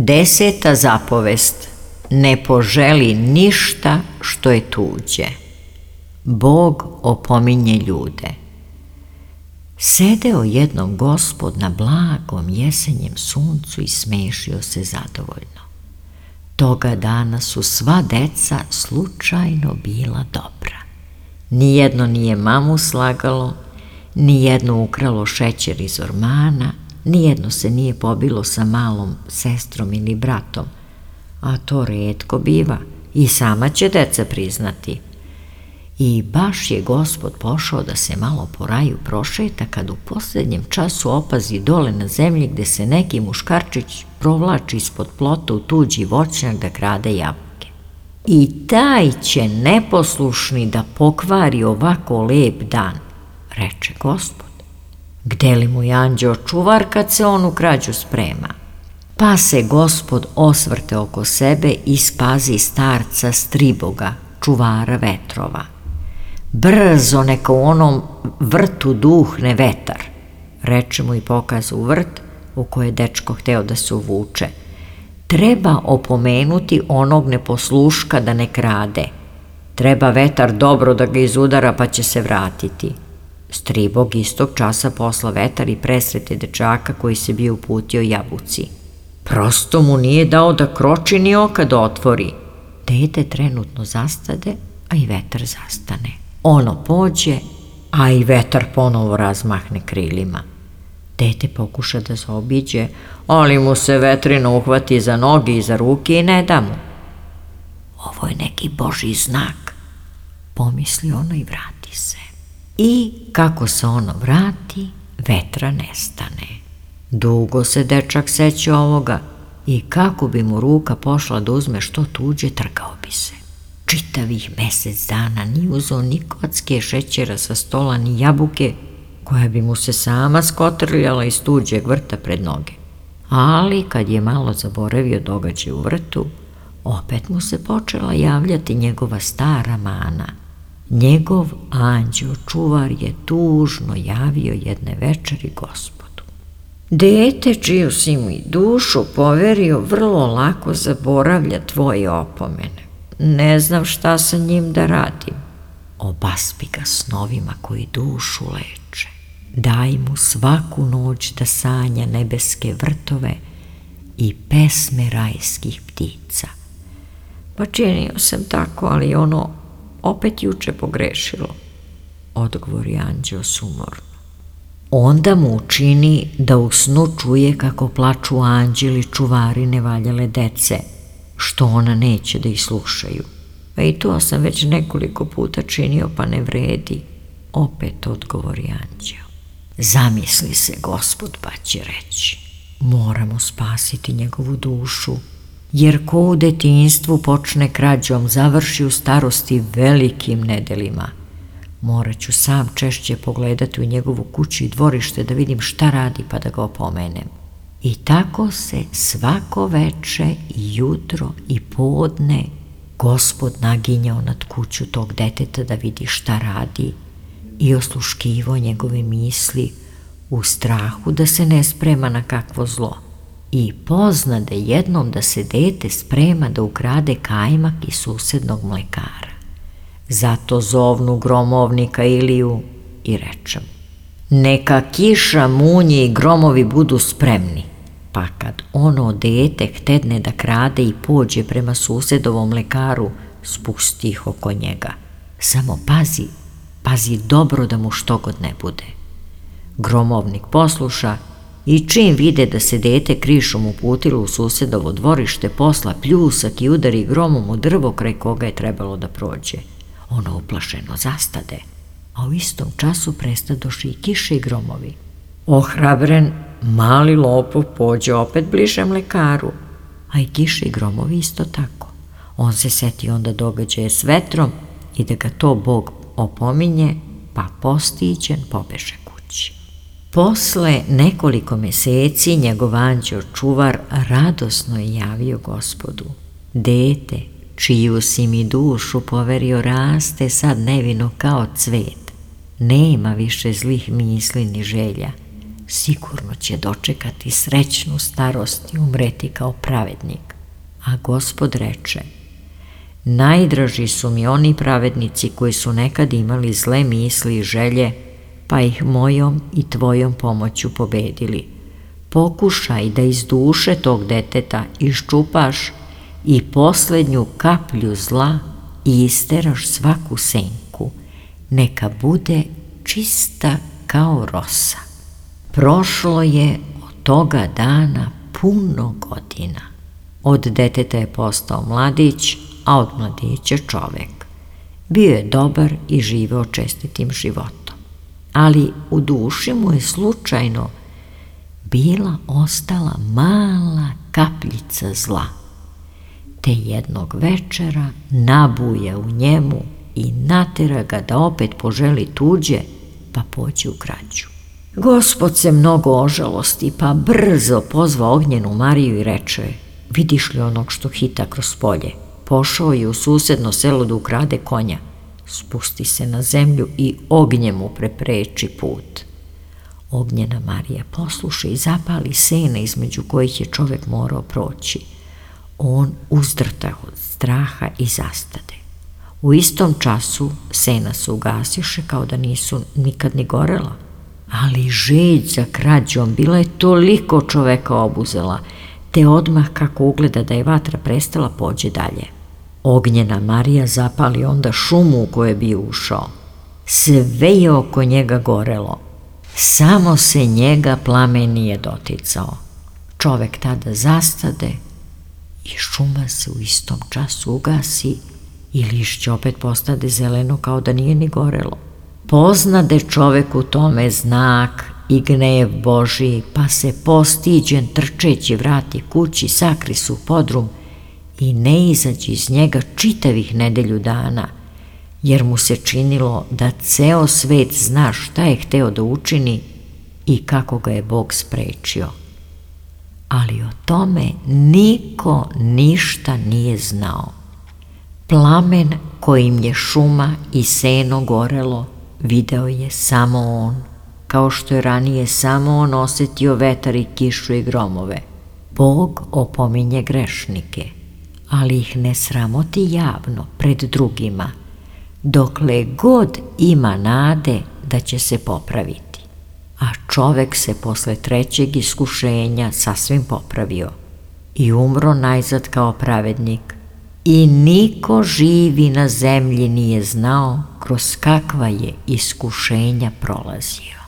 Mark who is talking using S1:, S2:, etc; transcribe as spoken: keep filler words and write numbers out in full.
S1: Deseta zapovest: ne poželi ništa što je tuđe. Bog opominje ljude. Sedeo jednom Gospod na blagom jesenjem suncu i smešio se zadovoljno. Toga dana su sva deca slučajno bila dobra. Nijedno nije mamu slagalo, nijedno ukralo šećer iz ormana, nijedno se nije pobilo sa malom sestrom ili bratom, a to retko biva, i sama će deca priznati. I baš je Gospod pošao da se malo po raju prošeta, kad u posljednjem času opazi dole na zemlji gde se neki muškarčić provlači ispod plota u tuđi voćnjak da krade jabuke. I taj će neposlušni da pokvari ovako lep dan, reče Gospod. Gde li mu je anđeo čuvar kad se on u krađu sprema? Pa se Gospod osvrte oko sebe i spazi starca Striboga, čuvara vetrova. Brzo neka u onom vrtu duhne vetar, reče mu i pokaza u vrt u koje je dečko hteo da se uvuče. Treba opomenuti onog neposluška da ne krade. Treba vetar dobro da ga izudara pa će se vratiti. Stribog istog časa posla vetar i presrete dečaka koji se bio uputio jabuci. Prosto mu nije dao da kroči ni oka da otvori. Dete trenutno zastade, a i vetar zastane. Ono pođe, a i vetar ponovo razmahne krilima. Dete pokuša da zaobiđe, ali mu se vetrina uhvati za noge i za ruke i ne da mu. Ovo je neki Božji znak, pomisli ono i vrati se. I kako se ono vrati, vetra nestane. Dugo se dečak seća ovoga i kako bi mu ruka pošla da uzme što tuđe, trgao bi se. Čitavih mesec dana ni uzeo ni kocke šećera sa stola, ni jabuke, koja bi mu se sama skotrljala iz tuđeg vrta pred noge. Ali kad je malo zaboravio događaj u vrtu, opet mu se počela javljati njegova stara mana. Njegov anđeo čuvar je tužno javio jedne večeri Gospodu. Dete čiju si mi dušu poverio vrlo lako zaboravlja tvoje opomene. Ne znam šta sa njim da radim. Obaspi ga snovima koji dušu leče. Daj mu svaku noć da sanja nebeske vrtove i pesme rajskih ptica. Pa činio sam tako, ali ono opet juče pogrešilo, odgovori anđeo sumorno. Onda mu učini da u snu čuje kako plaču anđeli čuvari nevaljale dece, što ona neće da ih slušaju. A i to sam već nekoliko puta činio, pa ne vredi, opet odgovori anđeo. Zamisli se Gospod, pa će reći, moramo spasiti njegovu dušu, jer ko u detinjstvu počne krađom, završi u starosti velikim nedelima. Morat ću sam češće pogledati u njegovu kuću i dvorište da vidim šta radi pa da ga opomenem. I tako se svako veče i jutro i podne Gospod naginjao nad kuću tog deteta da vidi šta radi i osluškivao njegove misli u strahu da se ne sprema na kakvo zlo. I poznade jednom da se dete sprema da ukrade kajmak iz susednog mlekara. Zato zovnu gromovnika Iliju i reče mu, neka kiša, munje i gromovi budu spremni. Pa kad ono dete htedne da krade i pođe prema susedovom mlekaru, spusti ih oko njega. Samo pazi, pazi dobro da mu štogod ne bude. Gromovnik posluša i čim vide da se dete krišom uputilo u susedovo dvorište, posla pljusak i udari gromom u drvo kraj koga je trebalo da prođe. Ono uplašeno zastade, a u istom času prestadoše i kiše i gromovi. Ohrabren, mali lopov pođe opet bliže mlekaru, a i kiše i gromovi isto tako. On se seti onda događaje s vetrom i da ga to Bog opominje, pa postiđen pobeže kući. Posle nekoliko meseci njegov anđeo čuvar radosno je javio Gospodu. Dete, čiju si mi dušu poverio, raste sad nevino kao cvet. Nema više zlih misli ni želja. sigurno će dočekati srećnu starost i umreti kao pravednik. A Gospod reče: najdraži su mi oni pravednici koji su nekad imali zle misli i želje, pa ih mojom i tvojom pomoću pobedili. Pokušaj da iz duše tog deteta iščupaš i posljednju kaplju zla i isteraš svaku senku, neka bude čista kao rosa. Prošlo je od toga dana puno godina. Od deteta je postao mladić, a od mladića čovek. Bio je dobar i živeo čestitim životom. Ali u duši mu je slučajno bila ostala mala kapljica zla. Te jednog večera nabuje u njemu i natera ga da opet poželi tuđe, pa pođe u krađu. Gospod se mnogo ožalosti, pa brzo pozva ognjenu Mariju i reče: vidiš li onog što hita kroz polje? Pošao je u susedno selo da ukrade konja. Spusti se na zemlju i ognjem mu prepreči put. Ognjena Marija posluša i zapali sene između kojih je čovek morao proći. On uzdrta od straha i zastade. U istom času sena se ugasiše kao da nisu nikad ni gorela. Ali žeđ za krađom bila je toliko čoveka obuzela, te odmah kako ugleda da je vatra prestala, pođe dalje. Ognjena Marija zapali onda šumu u koju je bio ušao. Sve je oko njega gorelo, samo se njega plamen nije doticao. Čovek tada zastade i šuma se u istom času ugasi i lišće opet postade zeleno kao da nije ni gorelo. Poznade čovek u tome znak i gnev Božiji, pa se postiđen trčeći vrati kući, sakri se u podrum i ne izađe iz njega čitavih nedelju dana, jer mu se činilo da ceo svet zna šta je hteo da učini i kako ga je Bog sprečio. Ali o tome niko ništa nije znao. Plamen kojim je šuma i seno gorelo video je samo on, kao što je ranije samo on osetio vetar i kišu i gromove. Bog opominje grešnike, ali ih ne sramoti javno pred drugima, dokle god ima nade da će se popraviti. A čovek se posle trećeg iskušenja sasvim popravio i umro najzad kao pravednik, i niko živi na zemlji nije znao kroz kakva je iskušenja prolazio.